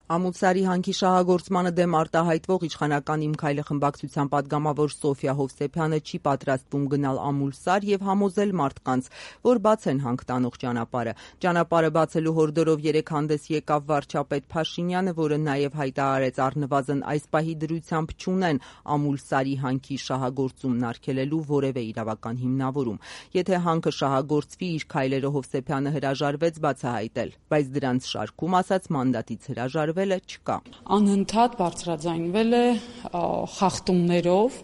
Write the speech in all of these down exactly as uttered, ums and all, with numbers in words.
Ամուլսարի հանքի շահագործմանը դեմ արտահայտվող իշխանական «Իմ քայլը» խմբակցության պատգամավոր Սոֆյա Հովսեփյանը չի պատրաստվում գնալ Ամուլսար եւ համոզել մարդկանց, որ բացեն հանք տանող ճանապարհը։ Ճանապարհը բացելու հորդորով երեկ հանդես եկավ վարչապետ Փաշինյանը, որը նաեւ հայտարարեց առնվազն այս պահի դրությամբ չունեն Ամուլսարի հանքի շահագործումն արգելելու որևէ իրավական հիմնավորում։ Եթե հանքը շահագործվի, իր քայլերը Հովսեփյանը հրաժարվեց բացահայտել, բայց դրանց շարքում ասաց մանդատից հրաժարվել չկա։ Անընդհատ բարձրաձայնվել է խախտումներով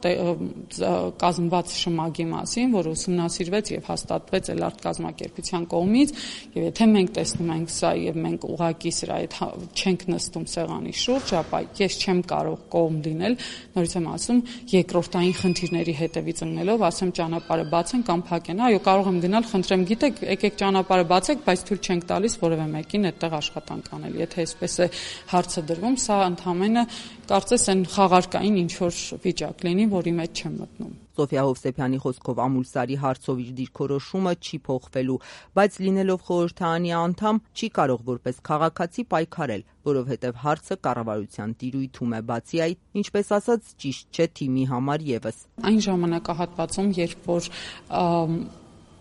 կազմված շմագի մասին, որը ուսումնասիրվեց եւ հաստատվեց էլ արտկազմակերպության կողմից, եւ եթե մենք տեսնում ենք սա եւ մենք ուղղակի սրա այդ չենք նստում սեղանի շուրջ, ապա ես չեմ կարող կողմ լինել, նորից եմ ասում, երկրորդային խնդիրների հետևից ընկնելով, ասեմ ճանապարհը բացեն կամ փակեն։ Այո, կարող եմ գնալ, խնդրեմ, գիտեք, եկեք ճանապարհը բացեք, բայց թույլ չենք տալիս որևէ մեկին այդտեղ աշխատանք անել։ Եթե այսպես է հարցը դրվում, սա ընդհանրապես կարծես այն խաղարկային ինչ որ վիճակ լինի, որի մեջ չեմ մտնում։ Սոֆյա Հովսեփյանի խոսքով Ամուլսարի հարցով իր դիրքորոշումը չի փոխվելու, բայց լինելով խորհրդարանի անդամ չի կարող որպես քաղաքացի պայքարել, որովհետև հարցը կառավարության տիրույթում է, բացի այդ, ինչպես ասած, ճիշտ չէ թիմի համար եւս։ Այն ժամանակահատվածում, երբ որ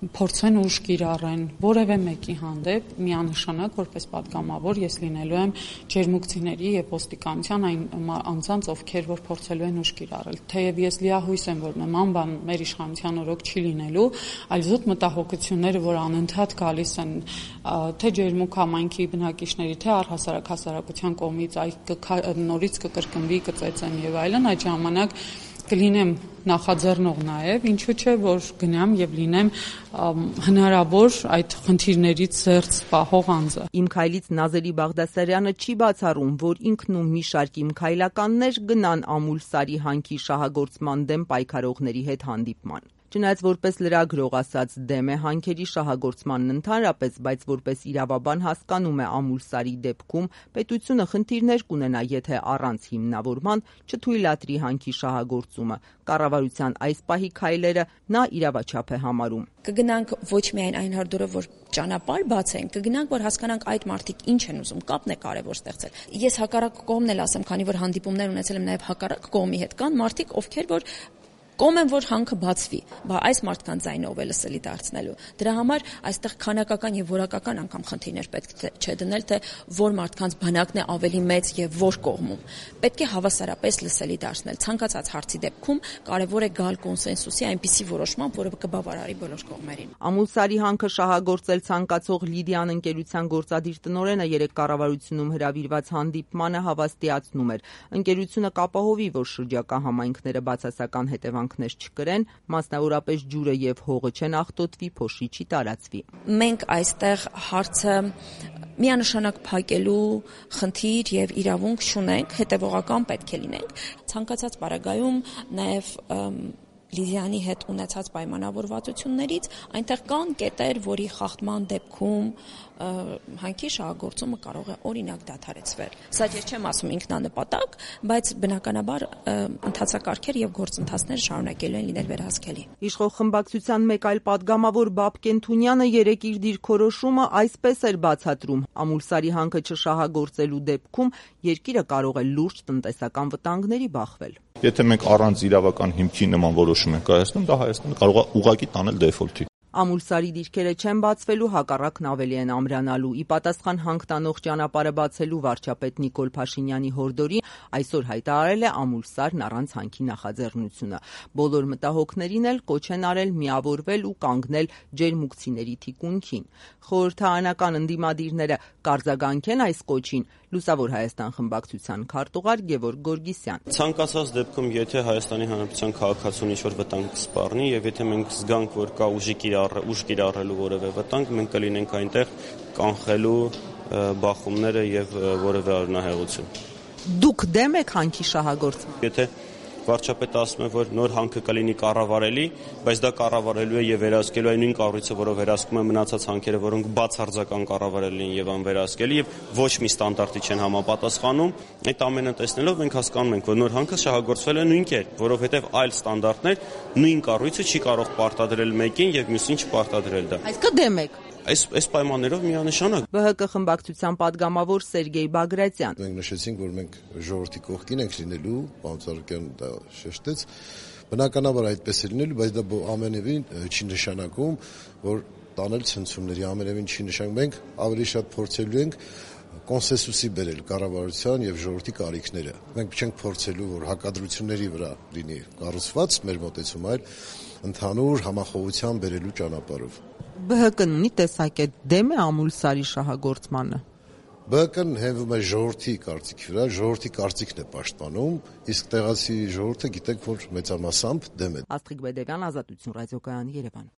փորձեն ուժ կիրառեն որևէ մեկի հանդեպ, միանշանակ որպես պատգամավոր ես լինելու եմ ջերմուկցիների եւ ոստիկանության այն անձանց, ովքեր որ փորձելու են ուժ կիրառել։ Թեև ես լիահույս եմ, որ նման բան մեր իշխանության օրոք չի լինելու, այլ զուտ մտահոգությունները, որ անընդհատ գալիս են թե ջերմուկ համայնքի բնակիչների, թե առհասարակ հասարակության կողմից, այ նորից կկրկնվի, կծեծեն եւ այլն, այդ ժամանակ կլինեմ նախաձեռնող նաև, ինչու՞ չէ, որ գնամ եւ լինեմ հնարավոր այդ խնդիրներից զերծ պահող անձը։ Իմ քայլից Նազերի Բաղդասարյանը չի բացառում, որ ինքն ու մի շարք իմ քայլականներ գնան Ամուլսարի հանքի շահագործման դեմ պայքարողների հետ հանդիպման։ Չնայած որպես լրագրող ասած դեմ է հանքերի շահագործմանն ընդհանրապես, բայց որպես իրավաբան հասկանում է Ամուլսարի դեպքում պետությունը խնդիրներ կունենա, եթե առանց հիմնավորման չթույլատրի հանքի շահագործումը։ Կառավարության այս պահի քայլերը նա իրավաչափ է համարում։ Կգնանք ոչ միայն այն հորդորը, որ ճանապարհ բացեն, կգնանք, որ հասկանանք այդ մարդիկ ինչ են ուզում, կապն է կարևոր ստեղծել։ Ես հակառակ կողմն էլ ասեմ, քանի որ հանդիպումներ ունեցել եմ նաև հակառակ կողմի հետ, կան մարդիկ, ովքեր որ կողմ են, որ հանքը բացվի, բա այս մարդկանց ձայնով է լսելի դարձնելու։ Դրա համար այստեղ քանակական եւ որակական անգամ խնդիրներ պետք չէ դնել, թե որ մարդկանց բանակն է ավելի մեծ եւ որ կողմում։ Պետք է հավասարապես լսելի դարձնել։ Ցանկացած հարցի դեպքում կարեւոր է գալ կոնսենսուսի այնպիսի որոշման, որը կբավարարի բոլոր կողմերին։ Ամուլսարի հանքը շահագործել ցանկացող Լիդիան ընկերության գործադիր տնօրենը երեք կառավարությունում հրավիրված հանդիպմանը հավաստիացնում էր։ Ընկերությունը կապահովի, որ շրջակա համայնքները բացասական հետևանք չկրեն, մասնավորապես ջուրը եւ հողը չեն աղտոտվի, փոշի չի տարածվի։ Մենք այստեղ հարցը միանշանակ փակելու խնդիր եւ իրավունք չունենք, հետեւողական պետք է լինենք։ Ցանկացած պարագայում նաեւ Լիդիանի հետ ունեցած պայմանավորվածություններից այնտեղ կան կետեր, որի խախտման դեպքում հանքի շահագործումը կարող է օրինակ դադարեցվել։ Սա ես չեմ ասում ինքնանպատակ, բայց բնականաբար ընթացակարգեր եւ գործընթացներ շարունակելու են լինել վերահսկելի։ Իշխող խմբակցության մեկ այլ պատգամավոր Բաբկեն Թունյանը երեկ իր դիրքորոշումը այսպես էր բացատրում. Ամուլսարի հանքը չշահագործելու դեպքում երկիրը կարող է լուրջ տնտեսական վտանգների բախվել։ Եթե մենք առանց իրավական հիմքի նման որոշում ենք կայացնում, դա Հայաստանը կարող է ուղղակի տանել դեֆոլտի։ Ամուլսարի դիրքերը չեն բացվելու, հակառակն ավելի են ամրանալու։ Ի պատասխան հանք տանող ճանապարհը բացելու վարչապետ Նիկոլ Փաշինյանի հորդորի այսօր հայտարարել է Ամուլսարն առանց հանքի նախաձեռնությունը։ Բոլոր մտահոգներին էլ կոչ են արել միավորվել ու կանգնել ջերմուկցիների թիկունքին։ Խորհրդարանական ընդդիմադիրները կարձագանքեն այս կոչին։ Լուսավոր Հայաստան խմբակցության քարտուղար Գևորգ Գորգիսյան։ Ցանկացած դեպքում, եթե Հայաստանի Հանրապետության քաղաքացուն ինչ-որ վտանգ սպառնի եւ եթե մենք զգանք, որ կա ուժի ուժ կիրառելու որևէ վտանգ, մենք կլինենք այնտեղ կանխելու բախումները եւ որևէ արնահեղություն։ Դուք դեմ եք հանքի շահագործման։ Եթե վարչապետը ասում է, որ նոր հանքը կլինի կառավարելի, բայց դա կառավարելու է եւ վերահսկելու այն նույն կառույցը, որով վերահսկում է մնացած հանքերը, որոնք բացարձական կառավարելի են եւ անվերահսկելի եւ ոչ մի ստանդարտի չեն համապատասխանում, այդ ամենը տեսնելով մենք հասկանում ենք, որ նոր հանքը շահագործվել է նույն կերպ, որովհետեւ այլ ստանդարտներ նույն կառույցը չի կարող պարտադրել մեկին եւ մյուսին չպարտադրել դա։ Այսինքն դեմ եք։ Այս այս պայմաններով միանշանակ Բ Հ Կ խմբակցության падգամավոր Սերգեյ Բագրատյան. Մենք նշեցինք, որ մենք ժողովրդի կողքին ենք լինելու, պարոն Ծառուկյան դա շեշտեց, բնականաբար այդպես է լինելու, բայց դա ամենևին չի նշանակում, որ տանել ցնցումների, ամենևին չի նշանակում, մենք ավելի շատ փորձելու ենք կոնսենսուսի բերել կառավարության եւ ժողովրդի կարիքները։ Մենք չենք փորձելու, որ հակադրությունների վրա լինի կառուցված մեր մոտեցումը, այլ ընդհանուր համախոհության բերելու ճանապարհով։ Բ Հ Կ-ն ունի տեսակետ դեմ է Ամուլսարի շահագործմանը։ Բ Հ Կ-ն հենվում է ժողովրդի կարծիքի վրա, ժողովրդի կարծիքն է պաշտպանում, իսկ տեղացի ժողովուրդը գիտեք, որ մեծամասամբ դեմ է։ Աստղիկ Բեդևյան, Ազատություն ռադիոկայան, Երևան։